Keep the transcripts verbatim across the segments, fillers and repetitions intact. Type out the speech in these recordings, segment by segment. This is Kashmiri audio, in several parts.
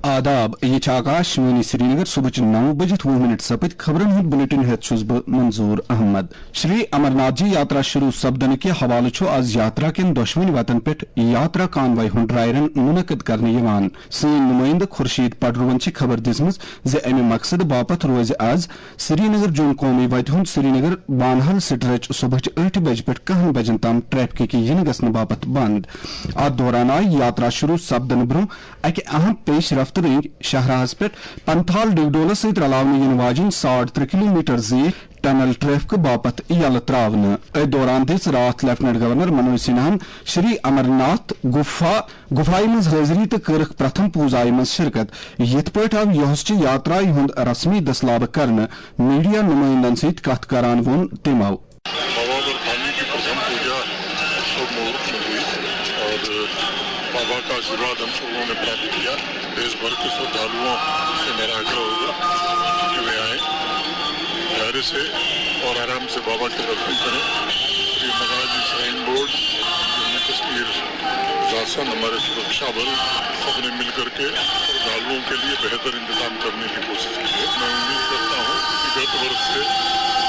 آداب، یہ چھِ آکاشوانی سرینگر۔ صبحٕچہِ نَو بجِتھ وُہ منٹ سپٕدۍ۔ خبرن ہُنٛد بلیٹن ہٮ۪تھ چھُس بہٕ منظور احمد۔ شری امرناتھ جی یاترا شروع سپدنہٕ کہِ حوالہٕ چھُ آز یاترا کٮ۪ن دۄشوٕنۍ وتن پٮ۪ٹھ یاترا کانوے ہُنٛد ڈرائی رن منعقد کرنہٕ یِوان۔ سٲنۍ نُمٲیندٕ خورشید پڈروَن چھِ خبر دِژمٕژ زِ امہِ مقصدٕ باپتھ روزِ از سرینگر جوٚم قومی وتہِ ہُنٛد سرینگر بانہل سٹریچ صبحٕچہِ ٲٹھِ بجہِ پٮ۪ٹھ کاہن بجن تام ٹریفکٕکہِ یِنہٕ گژھنہٕ باپتھ بند۔ اتھ دوران آیہِ یاترا شروع سپدنہٕ برونٛہہ اکہِ اہم پیش رفت رٔنگۍ شاہراہس پٮ۪ٹھ پنتھال ڈگڈولس سۭتۍ رلاونہٕ یِنہٕ واجیٚنۍ ساڑ ترٛےٚ کلومیٹر زیٖٹھ ٹنل ٹریفکہٕ باپتھ یلہٕ تراونہٕ۔ أتھۍ دوران دِژ راتھ لیفٹیننٹ گورنر منوج سنہاہن شری امرناتھ گفا گفایہِ منٛز حٲضری تہٕ کٔرٕکھ پرتھم پوزایہِ منٛز شرکت۔ یِتھ پٲٹھۍ آو یۄہس چہِ یاترایہِ ہُنٛد رسمی دٔسلابہٕ کرنہٕ۔ میڈیا نُمٲیندن سۭتۍ کتھ کران ووٚن تِمو۔ بابا برفانی کی پرتھم پوجا شبھ مہورت میں ہوئی اور بابا کا آشیرواد ہم سب لوگوں نے پراپت کیا۔ دیش بھر کے شردھالوؤں سے میرا آگرہ ہوگا کہ وہ آئیں پیارے سے اور آرام سے بابا کے درشن کریں۔ یہ مہاراج جی سائن بورڈ جموں کشمیر شاسن، ہمارے سرکشا بل، سب نے مل کر کے شردھالوؤں کے لیے بہتر انتظام کرنے کی کوشش کی ہے۔ میں امید کرتا ہوں کہ گت ورش سے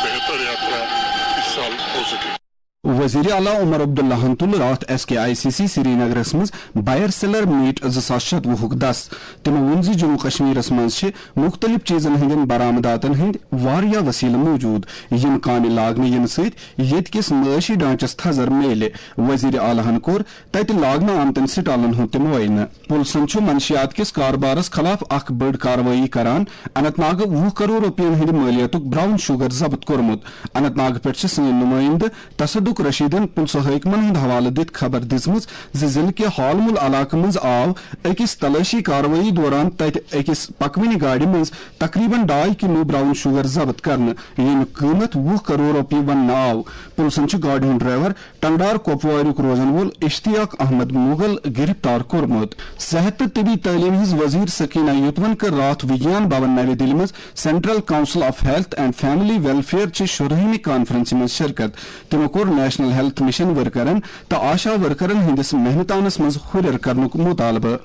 بہتر یاترا اس سال ہو سکے۔ وزیر اعلیٰ عمر عبداللہن تُل راتھ S K I C C سرینگرس منٛز بائر سیلر میٹ زٕ ساس شتوُہُک دس۔ تِمو ووٚن زِ جموں کشمیرس منٛز چھِ مُختٔلِف چیٖزن ہٕنٛدٮ۪ن برآمداتن ہٕنٛدۍ واریاہ وسیلہٕ موٗجوٗد، یِم کامہِ لاگنہٕ یِنہٕ سۭتۍ ییٚتہِ کِس معٲشی ڈھانچس تھزر میلہِ۔ وزیر اعلیٰ ہن کوٚر تتہِ لاگنہٕ آمتٮ۪ن سٹالن ہُنٛد تہِ معائنہٕ۔ پُلسن چھُ منشیات کِس کاربارس خلاف اکھ بٔڑ کاروٲیی کران اننت ناگہٕ وُہ کرور رۄپین ہٕنٛدِ مٲلیتُک براؤن شوگر ضبط کوٚرمُت۔ اننت ناگہٕ پٮ۪ٹھ چھِ سٲنۍ نُمٲیندٕ تصدق رشیدن پُلسہٕ حٲکمن ہُنٛد حوالہٕ دِتھ خبر دِژمٕژ زِ ضلعہٕ کہِ ہالمُل علاقہٕ منٛز آو أکِس تلٲشی کاروٲیی دوران تتہِ أکِس پکوٕنہِ گاڑِ منٛز تقریباً ڈاے کلو براؤن شوگر ضبط کرنہٕ، ییٚمیُک قۭمتھ وُہ کرور رۄپیہِ وننہٕ آو۔ پُلسن چھُ گاڑِ ہُنٛد ڈرائیور ٹنگڈار کوپواریُک روزن وول اشتیاق احمد مغل گرفتار کوٚرمُت۔ صحت تہٕ طبی تعلیٖم ہٕنٛز وزیر سکینہ یوتون کٔر راتھ وگیان بھون نوِ دِلہِ منٛز central council of health and family welfare چہِ شُرہمہِ کانفرنسہِ منٛز شرکت۔ تِمو کوٚر نیشنل ہیلتھ مشن ورکرن تہٕ آشا ورکرن ہٕنٛدِس محنتانس منٛز ہُرٮ۪ر کرنُک مطالبہٕ۔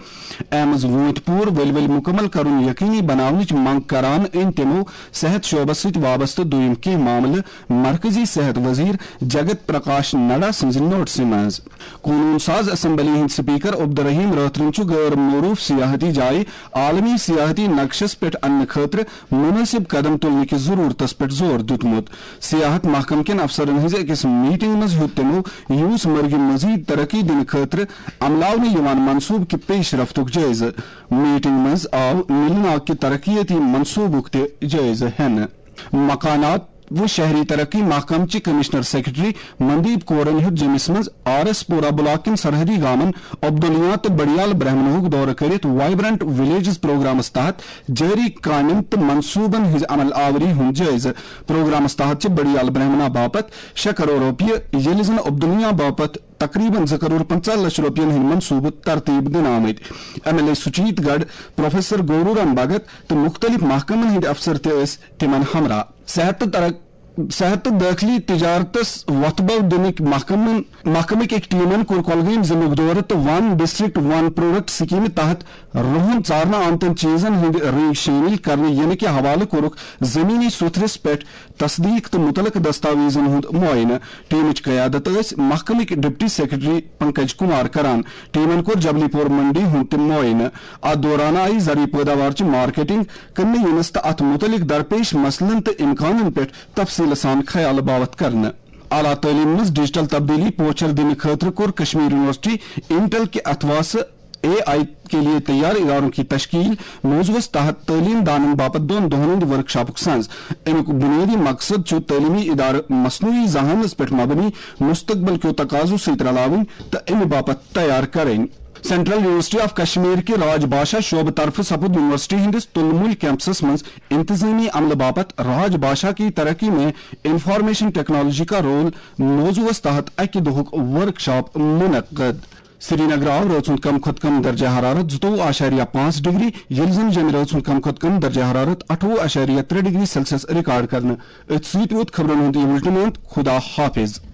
ایمز وٲنٛتۍ پوٗر ؤلۍ ؤلۍ مُکمل کرُن یقینی بناونٕچ منٛگ کران أنۍ تِمو صحت شعبس سۭتۍ وابستہٕ دوٚیِم کینٛہہ معاملہٕ مرکزی صحت وزیر جگت پرکاش نڈا سٕنٛزِ نوٹسہِ منٛز۔ قونوٗن ساز اسمبلی ہٕنٛدۍ سپیکر عبدالرحیم رٲتھرَن چھُ غٲر معروٗف سیاحتی جایہِ عالمی سیاحتی نقشس پٮ۪ٹھ اننہٕ خٲطرٕ مُنٲسِب قدم تُلنہٕ کِس ضروٗرتس پٮ۪ٹھ زور دیُتمُت۔ سیاحت محکمہٕ کٮ۪ن افسرن ہٕنٛزِ أکِس میٹنگ منٛز ہیوٚت تِمو یوٗس مرگہِ مزید ترقی دِنہٕ خٲطرٕ عملاونہٕ یِوان منصوبہٕ کہِ پیش رفتُک جٲیزٕ۔ میٹنگ منٛز آو نِلہِ ناگ کہِ ترقیتی منصوبُک تہِ جٲیزٕ ہٮ۪نہٕ۔ مکانات و شہری ترقی محکمہٕ چہِ کمشنر سیکرٹری مندیپ کورن ہیوٚت جیٚمِس منٛز آر ایس پورہ بلاک کٮ۪ن سرحدی گامن عبدالیا تہٕ بڑیال برہمنہُک دورٕ کٔرِتھ وائبرنٹ ولیجز پروگرامس تحت جٲری کامٮ۪ن تہٕ منصوبن ہٕنٛزِ عمل آوری ہُنٛد جٲیزٕ۔ پروگرامس تحت چھِ بڑیال برہمنا باپتھ شےٚ کرور رۄپیہِ، ییٚلہِ زن عبدالیا باپتھ تقریباً زٕ کرور پنٛژاہ لچھ رۄپین ہٕنٛدۍ منصوبہٕ ترتیب دِنہٕ آمٕتۍ۔ ایم ایل اے سُچیت گڑھ، پروفیسر گورو رام بھگت تہٕ مُختٔلِف محکمن ہٕنٛدۍ افسر تہِ ٲسۍ تِمن ہمراہ۔ صحت تہٕ ترق-، صحت تہٕ دٲخلی تجارتس وۄتھٕ بو دِنٕکۍ محکمن، محکمٕکۍ أکۍ ٹیمن کوٚر کۄلگٲمۍ ضلعُک دورٕ تہٕ ون ڈسٹرکٹ ون پروڈکٹ سکیمہِ تحت رُہن ژارنہٕ آمتٮ۪ن چیٖزن ہٕنٛدۍ رنگ شٲمِل کرنہٕ یِنہٕ کہِ حوالہٕ کوٚرُکھ زمینی سوٚتھرِس پٮ۪ٹھ تصدیق تہٕ مُتعلقہٕ دستاویزن ہُنٛد معائنہٕ۔ ٹیمٕچ قیادت ٲسۍ محکمٕکۍ ڈپٹی سیکرٹری پنکج کمار کران۔ ٹیمن کوٚر جبلی پور منڈی ہُنٛد تہِ معائنہٕ۔ اتھ دوران آیہِ زرعی پٲداوار چہِ مارکیٹنگ، کٕننہٕ یِنس تہٕ اتھ مُتعلق درپیش مسلن تہٕ امکانن پٮ۪ٹھ تفصیلہٕ سان خیال باوتھ کرنہٕ۔ اعلیٰ تعلیٖم منٛز ڈیجیٹل تبدیلی پوچھر دِنہٕ خٲطرٕ کوٚر کشمیر یونیورسٹی انٹل کہِ اتھواسہٕ اے آئی کے لیے تیار اداروں کی تشکیل موضوعس تحت تعلیم دانن باپتھ دۄن دۄہن ہٕنٛدِ ورکشاپُک سنز۔ امیُک بنیٲدی مقصد چھُ تعلیمی ادارٕ مصنوعی ذہانس پٮ۪ٹھ مبنی مستقبل کیو تقاضو سۭتۍ رلاوٕنۍ تہٕ امہِ باپتھ تیار کرٕنۍ۔ سینٹرل یونیورسٹی آف کشمیر کہِ راج بھاشا شعبہٕ طرفہٕ سپُد یونیورسٹی ہٕنٛدِس تُلمُلۍ کیمپسس منٛز انتظٲمی عملہٕ باپتھ راج بھاشا کی ترقی میں انفارمیشن ٹیکنالوجی کا رول موضوعس تحت اکہِ دۄہُک ورکشاپ منعقد۔ سرینگر آو رٲژ ہُنٛد کم کھۄتہٕ کم درجہ حرارت زٕتووُہ اعشاریہ پانٛژھ ڈگری، ییٚلہِ زن جیٚمہِ رٲژ ہُنٛد کم کھۄتہٕ کم درجہ حرارت اَٹھووُہ اعشاریہ ترٛےٚ ڈگری سیلسیس ریکارڈ کرنہٕ۔ أتھۍ سۭتۍ ووت خبرن ہُنٛد یہِ بُلٹن اند۔ خدا حافظ۔